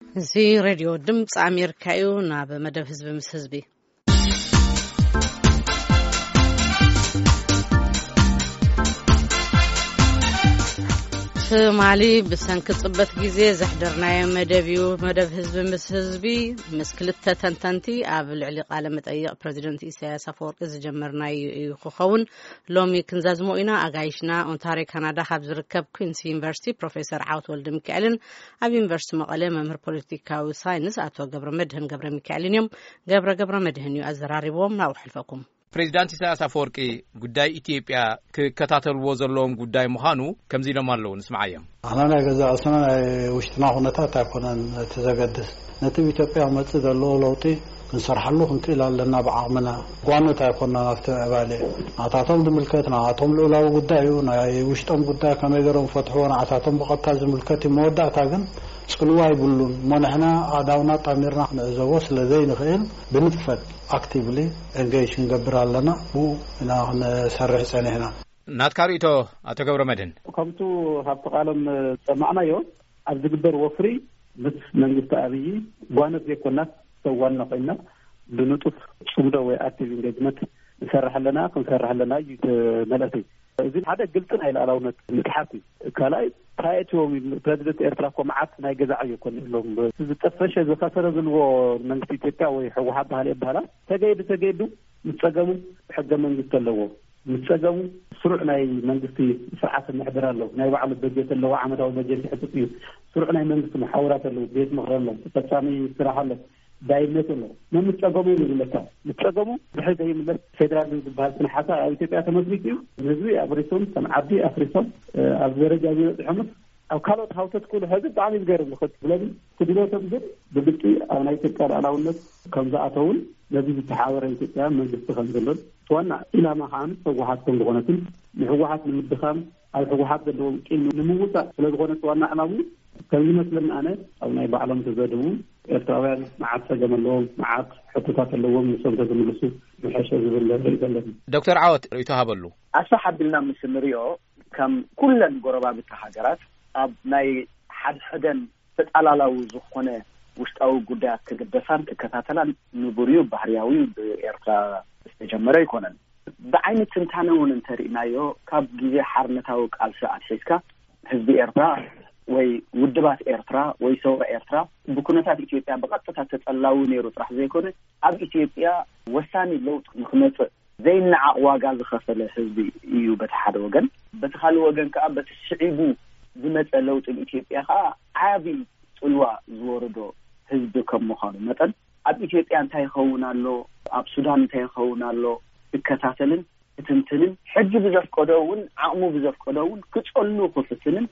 እዚ ሬድዮ ድምፂ ኣሜሪካ እዩ። ናብ መደብ ህዝቢ ምስ ህዝቢ። ትማሊ ብሰንኪ ጽበት ግዜ ዘሕደርናዮ መደብ እዩ። መደብ ህዝቢ ምስ ህዝቢ፣ ምስ ክልተ ተንተንቲ ኣብ ልዕሊ ቃለ መጠይቕ ፕረዚደንት ኢሳያስ ኣፈወርቂ ዝጀመርናዮ እዩ ክኸውን። ሎሚ ክንዛዝሞ ኢና። ኣጋይሽና ኦንታርዮ ካናዳ ካብ ዝርከብ ኩንስ ዩኒቨርሲቲ ፕሮፌሰር ዓወት ወልደ ሚካኤልን ኣብ ዩኒቨርሲቲ መቐለ መምህር ፖለቲካዊ ሳይንስ ኣቶ ገብረ መድህን ገብረ ሚካኤልን እዮም። ገብረ ገብረ መድህን እዩ ኣዘራሪብዎም። ናብኡ ሕልፈኩም። ፕሬዚዳንት ኢሳያስ ኣፈወርቂ ጉዳይ ኢትዮጵያ ክከታተልዎ ዘለዎም ጉዳይ ምዃኑ ከምዚ ኢሎም ኣለዉ። ንስምዓዮም። ኣና ናይ ገዛ ርእስና ናይ ውሽጥና ኩነታት ኣይኮነን እቲ ዘገድስ። ነቲ ኣብ ኢትዮጵያ ክመጽእ ዘለዎ ለውጢ ክንሰርሓሉ ክንክእል ኣለና ብዓቕምና። ጓኖት ኣይኮንና ናብቲ ምዕባለ። ናታቶም ዝምልከት ናታቶም ልኡላዊ ጉዳይ እዩ። ናይ ውሽጦም ጉዳይ ከመይ ገይሮም ፈትሕዎ ንዓታቶም ብቐጥታ ዝምልከት እዩ። መወዳእታ ግን ጽልዋ ይብሉን። እሞ ንሕና ኣእዳውና ጣሚርና ክንዕዘቦ ስለ ዘይንኽእል ብንጥፈት ኣክቲቭሊ ኤንጌጅ ክንገብር ኣለና። ብኡ ኢና ክንሰርሕ ጸኒሕና። ናትካ ርእይቶ ኣቶ ገብረ መድህን። ከምቱ ካብቲ ቃሎም ዝሰማዕናዮ ኣብ ዝግበር ወፍሪ ምስ መንግስቲ ኣብይ ጓነት ዘይኮናስ ሰብ ዋና ኮይና ብንጡፍ ጽምዶ ወይ ኣክቲቭ ኢንጌጅመንት ንሰርሕ ኣለና፣ ክንሰርሕ ኣለና እዩ እቲ መልእኽቲ። እዚ ሓደ ግልጺ ናይ ሉዓላውነት ምትሓት እዩ። ካልኣይ እንታይ እትዎም ኢሉ ፕረዚደንት ኤርትራ እኮ መዓት ናይ ገዛ ዕዮ እኮ ኣለዎም። ዝጠፈሸ ዝኸሰረ ዝልዎ መንግስቲ ኢትዮጵያ ወይ ህወሓት ባህሊ ይበሃላ ተገይዱ ተገይዱ ምስ ጸገሙ ሕገ መንግስቲ ኣለዎ። ምስ ጸገሙ ስሩዕ ናይ መንግስቲ ስርዓት ምሕደራ ኣለዎ። ናይ ባዕሉ በጀት ኣለዎ። ዓመታዊ በጀት ይሕጥጥ እዩ። ስሩዕ ናይ መንግስቲ መሓውራት ኣለዎ። ቤት ምኽሪ ኣሎ። ተፈጻሚ ስራሕ ኣሎ። ዳይነት ኣሎ። መን ምስ ጸገሙ እዩ ዝብለካ? ምስ ጸገሙ ብሕጊ ይምለስ። ፌዴራሊዝም ዝበሃል ስነ ሓሳብ ኣብ ኢትዮጵያ ተመስሪቱ እዩ። ንህዝቢ ኣፍሪሶም፣ ከም ዓዲ ኣፍሪሶም፣ እ፣ ኣብዚ ደረጃ ዝበጽሖምስ ኣብ ካልኦት ሃውተት ክብሉ ሕዚ ብጣዕሚ ዝገርም እዩ። ስለዚ ክድለቶም ግን ብግልፂ ኣብ ናይ ኢትዮጵያ ልኣላውነት ከም ዝኣተውን ነዚ ዝተሓበረ ኢትዮጵያ መንግስቲ ከም ዘሎን እቲ ዋና ኢላማ ከዓ ህወሓት ከም ዝኾነትን ንህወሓት ንምድኻም ኣብ ህወሓት ዘለዎም ቂም ንምውፃእ ስለ ዝኾነ እቲ ዋና ዕላሙ ከም ዝመስለኒ ኣነ ኣብ ናይ ባዕሎም ተዘድቡ ኤርትራውያን መዓት ፀገም ኣለዎም፣ መዓት ሕቶታት ኣለዎም፣ ንሶም ተዝምልሱ ምሐሸ ዝብል ርእይቶ ኣለኒ። ዶክተር ዓወት ርእይቶ ሃበሉ። ኣስፍሕ ኣቢልና ምስ ንሪኦ ከም ኩለን ጎረባብቲ ሃገራት ኣብ ናይ ሓድሕደን ተጣላላዊ ዝኾነ ውሽጣዊ ጉዳያት ክግደሳን ክከታተላን ንቡር እዩ፣ ባህርያዊ እዩ፣ ብኤርትራ ዝተጀመረ ኣይኮነን። ብዓይኒ ትንታነ እውን እንተሪእናዮ ካብ ግዜ ሓርነታዊ ቃልሲ ኣትሒዝካ ህዝቢ ኤርትራ ወይ ውድባት ኤርትራ ወይ ሰውራ ኤርትራ ብኩነታት ኢትዮጵያ ብቐጥታ ተጸላዊ ነይሩ ጥራሕ ዘይኮነ ኣብ ኢትዮጵያ ወሳኒ ለውጢ ንክመጽእ ዘይነዓቕ ዋጋ ዝኸፈለ ህዝቢ እዩ በቲ ሓደ ወገን። በቲ ካልእ ወገን ከኣ በቲ ስዒቡ ዝመጸ ለውጢ ንኢትዮጵያ ከኣ ዓቢ ጽልዋ ዝወረዶ ህዝቢ ከም ምዃኑ መጠን ኣብ ኢትዮጵያ እንታይ ይኸውን ኣሎ፣ ኣብ ሱዳን እንታይ ይኸውን ኣሎ ክከታተልን ክትንትንን ሕጊ ብዘፍቀዶ እውን ዓቕሙ ብዘፍቀዶ እውን ክጸሉ ክፍትንን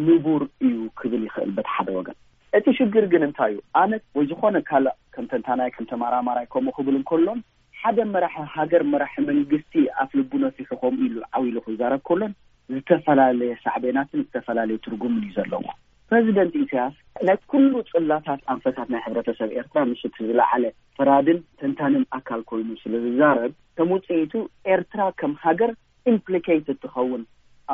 ንቡር እዩ ክብል ይኽእል በቲ ሓደ ወገን። እቲ ሽግር ግን እንታይ እዩ? ኣነ ወይ ዝኾነ ካልእ ከም ተንታናይ ከም ተመራማራይ ከምኡ ክብል እንከሎን ሓደ መራሒ ሃገር መራሒ መንግስቲ ኣፍ ልቡ ነፊሑ ከምኡ ኢሉ ዓው ኢሉ ክዛረብ ከሎን ዝተፈላለየ ሳዕቤናትን ዝተፈላለየ ትርጉምን እዩ ዘለዎ። ፕረዚደንት ኢሳያስ ናይ ኩሉ ጽላታት ኣንፈታት ናይ ሕብረተሰብ ኤርትራ ንሱ እቲ ዝለዓለ ፈራድን ተንታንን ኣካል ኮይኑ ስለ ዝዛረብ ከም ውጽኢቱ ኤርትራ ከም ሃገር ኢምፕሊኬትድ ትኸውን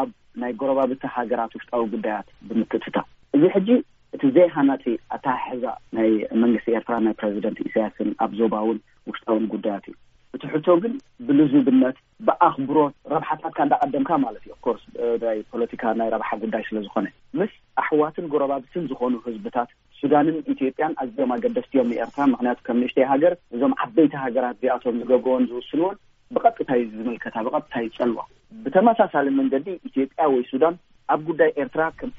ኣብ ናይ ጎረባብቲ ሃገራት ውሽጣዊ ጉዳያት ብምክትታል። እዚ ሕጂ እቲ ዘይሃናጺ ኣተሓሕዛ ናይ መንግስቲ ኤርትራ ናይ ፕረዚደንት ኢሳያስን ኣብ ዞባውን ውሽጣውን ጉዳያት እዩ። እቲ ሕቶ ግን ብልዙብነት ብኣኽብሮት ረብሓታትካ እንዳቐደምካ ማለት እዩ። ኦፍኮርስ ናይ ፖለቲካ ናይ ረብሓ ጉዳይ ስለ ዝኾነ ምስ ኣሕዋትን ጎረባብትን ዝኾኑ ህዝብታት ሱዳንን ኢትዮጵያን ኣዝዮም ኣገደስቲ እዮም ንኤርትራ። ምኽንያቱ ከም ንእሽተይ ሃገር እዞም ዓበይቲ ሃገራት እዚኣቶም ዝገብርዎን ዝውስንዎን ብቐጥታ እዩ ዝምልከታ፣ ብቐጥታ ይጸልዋ። ብተመሳሳሊ መንገዲ ኢትዮጵያ ወይ ሱዳን ኣብ ጉዳይ ኤርትራ ከምቲ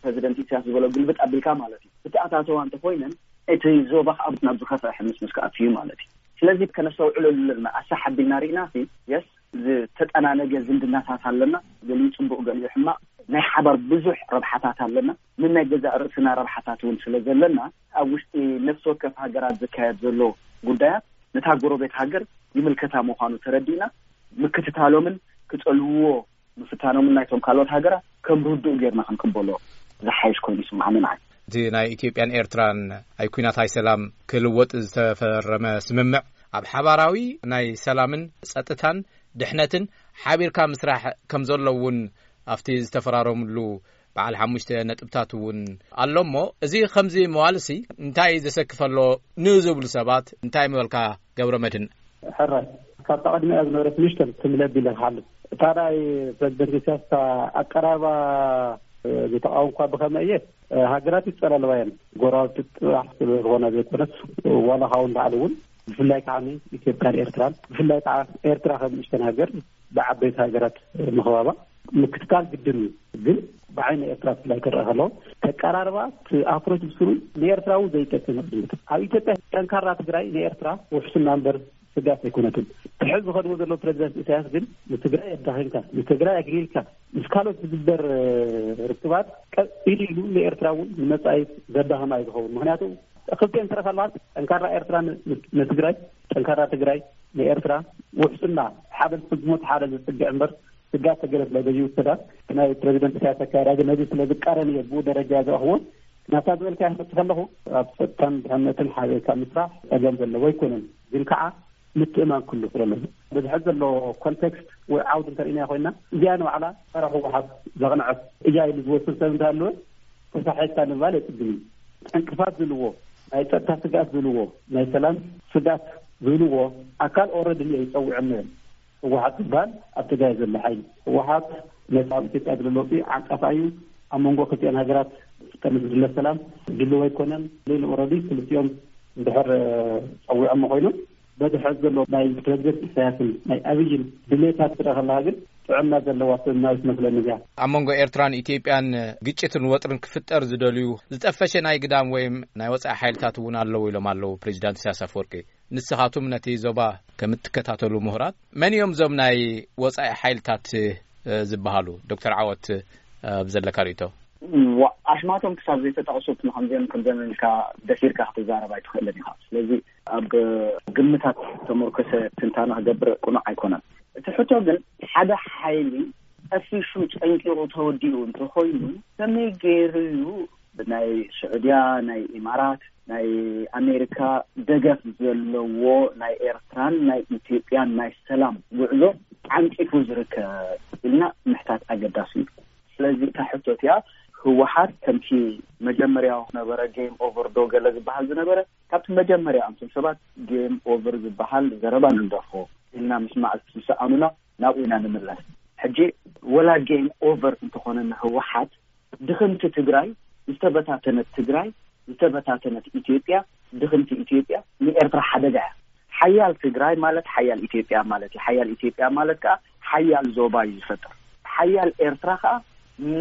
ፕረዚደንት ኢሳያስ ዝበሎ ግልብጥ ኣቢልካ ማለት እዩ ብተኣታተዋ እንተኮይነን እቲ ዞባ ካብ ናብ ዝኸፍአ ሕምስምስ ክኣቱ እዩ ማለት እዩ። ስለዚ ከነስተውዕለሉ ኣለና። ኣሳሕ ኣቢልና ርኢና ሲ የስ ዝተጠናነገ ዝምድናታት ኣለና። ገሊኡ ጽቡቕ ገሊኡ ሕማቕ ናይ ሓባር ብዙሕ ረብሓታት ኣለና። ንናይ ገዛእ ርእስና ረብሓታት እውን ስለ ዘለና ኣብ ውሽጢ ነፍሲ ወከፍ ሃገራት ዝካየድ ዘሎ ጉዳያት ነታ ጎረቤት ሃገር ይምልከታ ምዃኑ ተረዲእና ምክትታሎምን ክጸልውዎ ምፍታኖምን ናይቶም ካልኦት ሃገራት ከም ርዱእ ጌርና ክንቅበሎ ዝሓይሽ ኮይኑ ይስምዓኒ ንዓይ። እቲ ናይ ኢትዮጵያን ኤርትራን ኣይ ኩናት ኣይ ሰላም ክልወጥ ዝተፈረመ ስምምዕ ኣብ ሓባራዊ ናይ ሰላምን ጸጥታን ድሕነትን ሓቢርካ ምስራሕ ከም ዘሎ እውን ኣብቲ ዝተፈራረምሉ በዓል ሓሙሽተ ነጥብታት እውን ኣሎ። እሞ እዚ ከምዚ ምባልሲ እንታይ ዘሰክፍ ኣሎ ንዝብሉ ሰባት እንታይ ምበልካ ገብረ መድህን? ሕራይ፣ ካብታ ቀድሚኣ ዝነበረት ንእሽተን ትምለብ ኢለ ክሓልፍ። እታ ናይ ፕረዚደንት ኢሳያስ እታ ኣቀራርባ ዝተቃወምኳ ብኸመይ እየ? ሃገራት ይጸላለዋ እየን። ጎረባብቲ ጥራሕ ዝኾና ዘይኮነስ፣ ዋላ ካብኡ ንላዕሊ እውን፣ ብፍላይ ከዓ ኢትዮጵያን ኤርትራን፣ ብፍላይ ከዓ ኤርትራ ከም ንእሽተን ሃገር ብዓበይቲ ሃገራት ምኽባባ ምክትታል ግድን እዩ። ግን ብዓይኒ ኤርትራ ብፍላይ ክረአ ከለዎ፣ ተቀራርባ እቲ ኣፕሮች ብስሩ ንኤርትራ እውን ዘይጠቅም እዩ። ኣብ ኢትዮጵያ ጠንካራ ትግራይ ንኤርትራ ውሕስና እምበር ስጋት ኣይኮነትን። እቲ ሕዚ ዝኸድዎ ዘለዉ ፕረዚደንት ኢሳያስ ግን ንትግራይ ኣዳኺምካ፣ ንትግራይ ኣግሊልካ፣ ምስ ካልኦት ዝግበር ርክባት ቀጥ ኢሉ ኢሉ ንኤርትራ እውን ንመጻኢ ዘዳኽማ እዩ ዝኸውን። ምኽንያቱ ክልቲኤን ትረኸባት ጠንካራ ኤርትራ ን-፣ ንትግራይ፣ ጠንካራ ትግራይ ንኤርትራ፣ ውሕስና ሓደ ዝፍጽሞ እቲ ሓደ ዝጽግዕ እምበር ስጋት ተገለጽ ላይ በዚ ውሰዳ። ናይ ፕረዚደንት ኢሳያስ ኣካያዳ ግን ነዚ ስለ ዝቃረን እየ ብኡ ደረጃ ዝረኽቦ። ናታ ዝበልካ ክመጽእ ከለኹ ኣብ ጸጥታን ድሕነትን ሓቢርካ ምስራሕ ጸገም ዘለዎ ኣይኮነን። ግን ከዓ ምትእማን ክህሉ ስለ ኣለዎ። በዚ ሕዚ ዘሎ ኮንቴክስት ወይ ዓውዲ እንተርኢናዮ ኮይና፣ እዚኣ ንባዕላ ጸረ ህወሓት ዘቕንዐት እያ ኢሉ ዝወስድ ሰብ እንተሃለወ፣ ተሳሒትካ ንምባል የጽግም እዩ። ዕንቅፋት ዝህልዎ፣ ናይ ጸጥታ ስግኣት ዝህልዎ፣ ናይ ሰላም ስግኣት ዝህልዎ ኣካል ኦረዲ እየ ይጸውዕም ነይሩ። ህወሓት ዝበሃል ኣብ ትግራይ ዘሎ ሓይሊ፣ ህወሓት ነቲ ኣብ ኢትዮጵያ ዘሎ ለውጢ ዓንቃፋ እዩ። ኣብ መንጎ ክልቲኦን ሃገራት ከም ዝድለ ሰላም ድልው ኣይኮነን። ሌላ ኦረዲ ክልቲኦም እንድሕር ጸዊዖም ኮይኖም፣ በዚ ሕዚ ዘሎ ናይ ፕረዚደንት ኢሳያስን ናይ ኣብይን ድሌታት ትረአ ከለካ ግን ጥዕና ዘለዋ ስምና ይመስለኒ እዚኣ። ኣብ መንጎ ኤርትራን ኢትዮጵያን ግጭትን ወጥርን ክፍጠር ዝደልዩ ዝጠፈሸ ናይ ግዳም ወይም ናይ ወጻኢ ሓይልታት እውን ኣለዉ ኢሎም ኣለዉ ፕሬዚዳንት ኢሳያስ ኣፈወርቂ። ንስኻቱም ነቲ ዞባ ከም እትከታተሉ ምሁራት፣ መን እዮም እዞም ናይ ወጻኢ ሓይልታት፣ እ፣ ዝበሃሉ? ዶክተር ዓወት፣ እ፣ ብዘለካ ርእይቶ። ዋ-፣ ኣስማቶም ክሳብ ዘይተጠቕሱ ንከምዚኦም ከምዚኦም ኢልካ ደፊርካ ክትዛረብ ኣይትኽእልን ኢኻ። ስለዚ ኣብ ግምታት ተመርኮሰ ትንታነ ክገብር ቅኑዕ ኣይኮነን። እቲ ሕቶ ግን ሓደ ሓይሊ ጠፊሹ ጸንቂቑ ተወዲኡ እንተኾይኑ ከመይ ገይሩ እዩ ብናይ ስዑድያ፣ ናይ ኢማራት፣ ናይ ኣሜሪካ ደገፍ ዘለዎ ናይ ኤርትራን ናይ ኢትዮጵያን ናይ ሰላም ጉዕዞ ዓንቂፉ ዝርከብ ኢልና ምሕታት ኣገዳሲ እዩ። ስለዚ እታ ሕቶ እቲኣ ህወሓት ከምቲ መጀመርያ ነበረ ጌም ኦቨር ዶ ገለ ዝበሃል ዝነበረ፣ ካብቲ መጀመርያ ኣንቱም ሰባት ጌም ኦቨር ዝበሃል ዘረባ ንግደፎ ኢልና ምስማዕ ዝሰኣኑና ናብኡ ኢና ንምለስ። ሕጂ ወላ ጌም ኦቨር እንተኾነ ንህወሓት ድኽምቲ ትግራይ፣ ዝተበታተነት ትግራይ፣ ዝተበታተነት ኢትዮጵያ፣ ድኽምቲ ኢትዮጵያ ንኤርትራ ሓደጋ እያ። ሓያል ትግራይ ማለት ሓያል ኢትዮጵያ ማለት እዩ። ሓያል ኢትዮጵያ ማለት ከዓ ሓያል ዞባ እዩ ዝፈጥር። ሓያል ኤርትራ ከዓ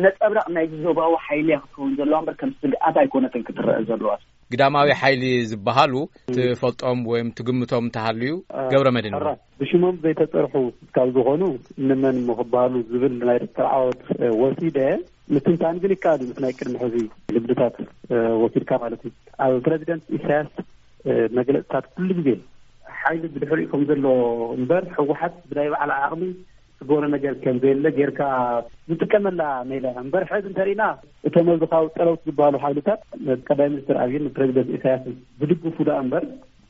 ነጸብራቕ ናይዚ ዞባዊ ሓይሊ እያ ክትከውን ዘለዋ እምበር ከም ስግኣት ኣይኮነትን ክትረአ ዘለዋ። ግዳማዊ ሓይሊ ዝበሃሉ ትፈልጦም ወይም ትግምቶም እንተሃልዩ? ገብረ መድህን። ሕራ፣ ብሽሞም ዘይተጸርሑ ካብ ዝኾኑ እንመን እሞ ክበሃሉ ዝብል ናይ ዶክተር ዓወት፣ እ፣ ወሲደ ምትንታን ግን ይከኣል እዩ። ምስ ናይ ቅድሚ ሕዚ ልምድታት፣ እ፣ ወሲድካ ማለት እዩ። ኣብ ፕረዚደንት ኢሳያስ፣ እ፣ መግለጽታት ኩሉ ግዜ ሓይሊ ብድሕሪኡ ከም ዘሎ እምበር ህወሓት ብናይ ባዕላ ዓቕሚ ትገብሮ ነገር ከም ዘየለ ጌርካ ዝጥቀመላ ሜላ እምበር ሕዚ እንተሪእና እቶም ኣብዚ ካብ ጸለውቲ ዝበሃሉ ሓይልታት ቀዳማይ ሚኒስትር ኣብይን ፕረዚደንት ኢሳያስን ዝድግፉ ደኣ እምበር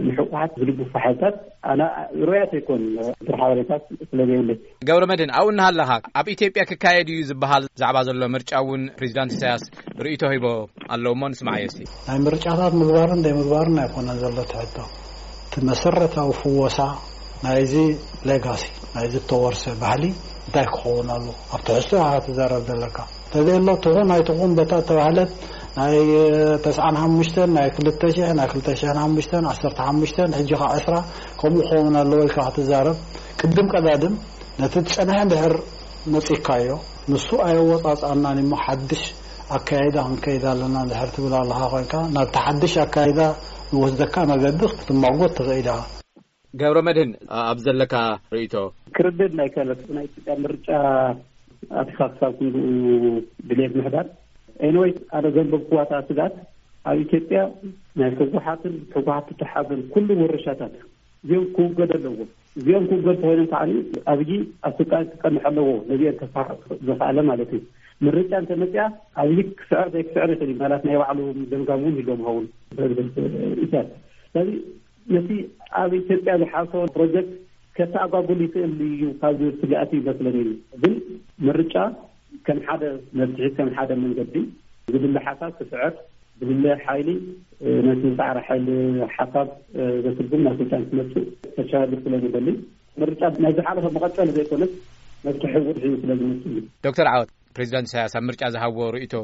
ንህወሓት ዝድግፉ ሓይልታት ኣነ ርኡያት ኣይኮን። ድር ሓበሬታት ስለ ዘየለይ። ገብረ መድህን፣ ኣብኡ እናሃለኻ ኣብ ኢትዮጵያ ክካየድ እዩ ዝበሃል ዛዕባ ዘሎ ምርጫ እውን ፕሬዚዳንት ኢሳያስ ርእይቶ ሂቦ ኣለዉ እሞ ንስማዓዮ እስቲ። ናይ ምርጫታት ምግባርን ዘይምግባርን ኣይኮነን ዘሎ ትሕቶ። እቲ መሰረታዊ ፍወሳ ናይዚ ሌጋሲ፣ ናይዚ እተወርሰ ባህሊ እንታይ ክኸውን ኣሎ? ኣብ ትሕዝቶ ኢኻ ክትዛረብ ዘለካ። እንተዘየሎ ትኹን ኣይትኹን በታ እተባህለት ናይ ተስዓን ሓሙሽተን፣ ናይ ክልተ ሽሕ፣ ናይ ክልተ ሽሕን ሓሙሽተን፣ ዓሰርተ ሓሙሽተን፣ ሕጂ ኸዓ ዕስራ ከምኡ ክኸውን ኣለዎ ኢልካ ክትዛረብ፣ ቅድም ቀዳድም ነቲ ዝጸንሐ እንድሕር መጺእካዮ፣ ንሱ ኣየወጻጽኣናን እሞ ሓድሽ ኣካይዳ ክንከይድ ኣለና እንድሕር ትብል ኣለኻ ኮይንካ፣ ናብቲ ሓድሽ ኣካይዳ ንወስደካ መገዲ ክትማጎት ትኽእል ኢኻ። ገብረ መድህን፣ ኣብ ዘለካ ርእይቶ። ክርድድ ናይ ከለስ ናይ ኢትዮጵያ ምርጫ ኣቲኻ ክሳብ ክንድኡ ድሌት ምሕዳር። ኤኒወይስ፣ ኣነ ዘንበብክዋ እታ ስጋት ኣብ ኢትዮጵያ ናይ ህወሓትን ህወሓት ዝተሓዘን ኩሉ ውርሻታት እዚኦም ክውገዱ ኣለዎም። እዚኦም ክውገዱ ተኾይኖም ከዓ ኣብይ ኣብ ስልጣን ክጸንሕ ኣለዎ። ነዚኦም ከፋሕቕ ዝኸኣለ ማለት እዩ። ምርጫ እንተመፅያ ኣብይ ክስዕር ዘይክስዕር ይኽእል እዩ። ማለት ናይ ባዕሉ ገምጋም እውን ይህልዎም ይኸውን ፕረዚደንት ኢሳያስ። ስለዚ ነቲ ኣብ ኢትዮጵያ ዝሓሰቦ ፕሮጀክት ከተኣጓጉል ይኽእል እዩ ካብ ዝብል ስግኣት እዩ ይመስለኒ። ግን ምርጫ ከም ሓደ መፍትሒ፣ ከም ሓደ መንገዲ ዝድለ ሓሳብ ክስዕር፣ ዝድለ ሓይሊ ነቲ ጻዕሪ ሓይሊ ሓሳብ ዘስጉም ናብ ስልጣን ክመጽእ ተሻግር ስለ ዝደሊ፣ ምርጫ ናይ ዝሓለፈ መቐጸሊ ዘይኮነስ መፍትሒ ውድሒ ስለ ዝመጽእ እዩ። ዶክተር ዓወት፣ ፕሬዚዳንት ኢሳያስ ኣብ ምርጫ ዝሃብዎ ርእይቶ፣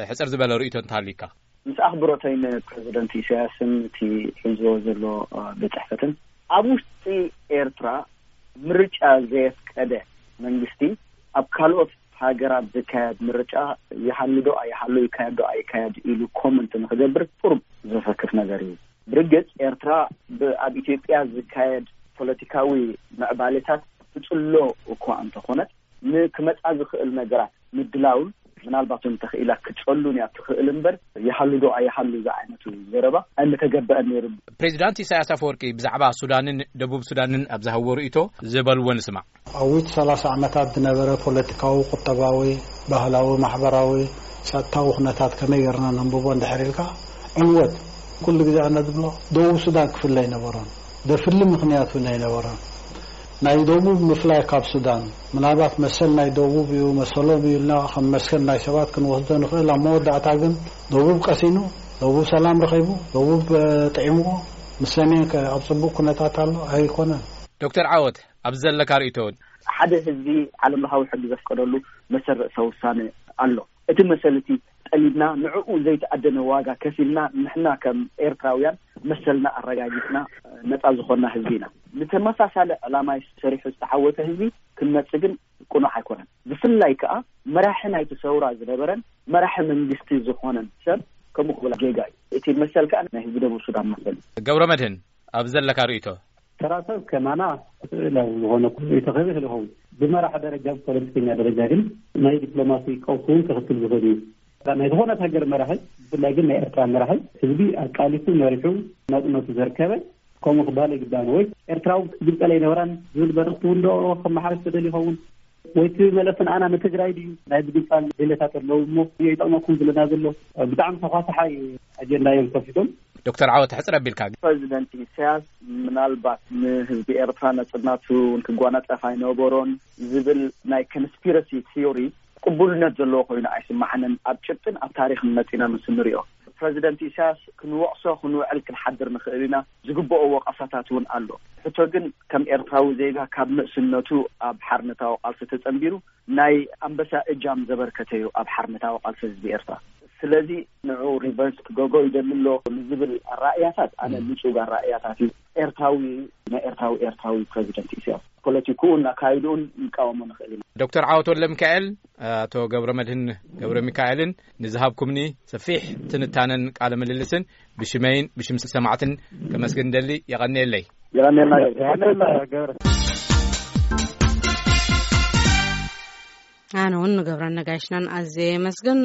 ሕጽር ዝበለ ርእይቶ እንተሃልዩካ? ምስ ኣኽብሮተይ ንፕሬዚደንት ኢሳያስን እቲ ሒዝዎ ዘሎ ቤት ጽሕፈትን፣ ኣብ ውሽጢ ኤርትራ ምርጫ ዘየፍቀደ መንግስቲ ኣብ ካልኦት ሃገራት ዝካየድ ምርጫ ይሃሉ ዶ ኣይሃሉ፣ ይካየድ ዶ ኣይካየድ ኢሉ ኮመንት ንክገብር ቁሩብ ዘሰክፍ ነገር እዩ። ብርግጽ ኤርትራ ብ-፣ ኣብ ኢትዮጵያ ዝካየድ ፖለቲካዊ ምዕባሌታት ትጽሎ እኳ እንተኾነት፣ ንክመጻ ዝኽእል ነገራት ምድላውን ምናልባት እውን ተኽኢላ ክጸሉን እያ ትኽእል እምበር፣ ይሃሉ ዶ ኣይሃሉ ዝዓይነቱ ዘረባ ኣይምተገበአን ነይሩ። ፕሬዚዳንት ኢሳያስ ኣፈወርቂ ብዛዕባ ሱዳንን ደቡብ ሱዳንን ኣብ ዝሃብዎ ርእይቶ ዝበልዎ ንስማዕ። ኣብ ውሽጢ ሰላሳ ዓመታት ዝነበረ ፖለቲካዊ፣ ቁጠባዊ፣ ባህላዊ፣ ማሕበራዊ፣ ጸጥታዊ ኩነታት ከመይ ጌርና ነንብቦ እንድሕር ኢልካ፣ ዕንወት። ኩሉ ግዜ ኣነ ዝብሎ፣ ደቡብ ሱዳን ክፍለ ኣይነበሮን። ዘፍሊ ምኽንያት እውን ኣይነበሮን። ናይ ደቡብ ምፍላይ ካብ ሱዳን፣ ምናልባት መሰል ናይ ደቡብ እዩ፣ መሰሎም እዩ ኢልና ከም መስከን ናይ ሰባት ክንወስዶ ንኽእል። ኣብ መወዳእታ ግን ደቡብ ቀሲኑ፣ ደቡብ ሰላም ረኺቡ፣ ደቡብ፣ እ፣ ጥዒምዎ፣ ምስ ሰሜን ከ ኣብ ጽቡቕ ኩነታት ኣሎ ኣይኮነን። ዶክተር ዓወት፣ ኣብዚ ዘለካ ርእይቶ እውን? ሓደ ህዝቢ ዓለም ለኻዊ ሕጊ ዘፍቀደሉ መሰል ርእሰ ውሳነ ኣሎ። እቲ መሰል እቲ ጠሊብና፣ ንዕኡ ዘይተኣደነ ዋጋ ከፊልና፣ ንሕና ከም ኤርትራውያን መሰልና ኣረጋጊጽና ነጻ ዝኾንና ህዝቢ ኢና። ንተመሳሳሊ ዕላማ ሰሪሑ ዝተዓወተ ህዝቢ ክንመጽእ ግን ቅኑዕ ኣይኮነን። ብፍላይ ከኣ መራሒ ናይቲ ሰውራ ዝነበረን መራሒ መንግስቲ ዝኾነን ሰብ ከምኡ ክብል ጌጋ እዩ። እቲ መሰል ከኣ ናይ ህዝቢ ደቡብ ሱዳን መሰል እዩ። ገብረ መድህን፣ ኣብ ዘለካ ርእይቶ? ተራ ሰብ ከማና ስእላዊ ዝኾነ ኩሉ ርእይቶ ክህብ ይኽእል ይኸውን። ብመራሒ ደረጃ፣ ብፖለቲከኛ ደረጃ ግን ናይ ዲፕሎማሲ ቀውሲ እውን ከኽትል ዝኽእል እዩ። ናይ ዝኾነት ሃገር መራሒ፣ ብፍላይ ግን ናይ ኤርትራ መራሒ፣ ህዝቢ ኣቃሊሱ መሪሑ ናጽነቱ ዘርከበ፣ ከምኡ ክበሃል ይግባእ። ወይ ኤርትራዊ ክትግልጸል ኣይነበራን ዝብል መልእኽቲ እውን ዶ ከመሓላልፍ ተደልዩ ይኸውን? ወይ እቲ መለስን ኣና ንትግራይ ድዩ? ናይ ምግንጻል ድሌታት ኣለዉ እሞ ይጠቕመኩም ዝለና ዘሎ ብጣዕሚ ተኳሳሓይ ኣጀንዳ እዮም ከፊቶም። ዶክተር ዓወት፣ ሕጽር ኣቢልካ። ፕሬዚደንት ኢሳያስ ምናልባት ንህዝቢ ኤርትራ ነጽነቱ እውን ክጓናጸፍ ኣይነበሮን ዝብል ናይ ኮንስፒረሲ ቲዮሪ ቅቡልነት ዘለዎ ኮይኑ ኣይስማዓንን። ኣብ ጭብጥን ኣብ ታሪኽን መጺና ምስ እንሪኦ፣ ፕሬዚደንት ኢሳያስ ክንወቕሶ ክንውዕል ክንሓድር ንኽእል ኢና። ዝግብኦ ወቐሳታት እውን ኣሎ። ሕቶ ግን ከም ኤርትራዊ ዜጋ ካብ ንእስነቱ ኣብ ሓርነታዊ ቃልሲ ተጸንቢሩ ናይ ኣንበሳ እጃም ዘበርከተ እዩ ኣብ ሓርነታዊ ቃልሲ ህዝቢ ኤርትራ። ስለዚ ንዑ ሪቨርስ ክገብሮ ይደሊ ኣሎ ንዝብል ኣራእያታት ኣነ ም። ንጹግ ኣራእያታት እዩ። ኤርትራዊ፣ ናይ ኤርትራዊ፣ ኤርትራዊ ፕሬዚደንት ኢሳያስ ፖለቲክኡን ኣካይድኡን ንቃወሞ ንኽእል ኢና። ዶክተር ዓወት ወልደ ሚካኤል፣ ኣቶ ገብረ መድህን ገብረ ሚካኤልን ንዝሃብኩምኒ ሰፊሕ ትንታነን ቃለ ምልልስን ብሽመይን ብሽም ሰማዕትን ከመስግን ደሊ። የቐንየለይ። የቐንየልና። የቐንየልና ገብረ። ኣነ እውን ንገብረ ነጋሽናን ኣዝየ የመስግን።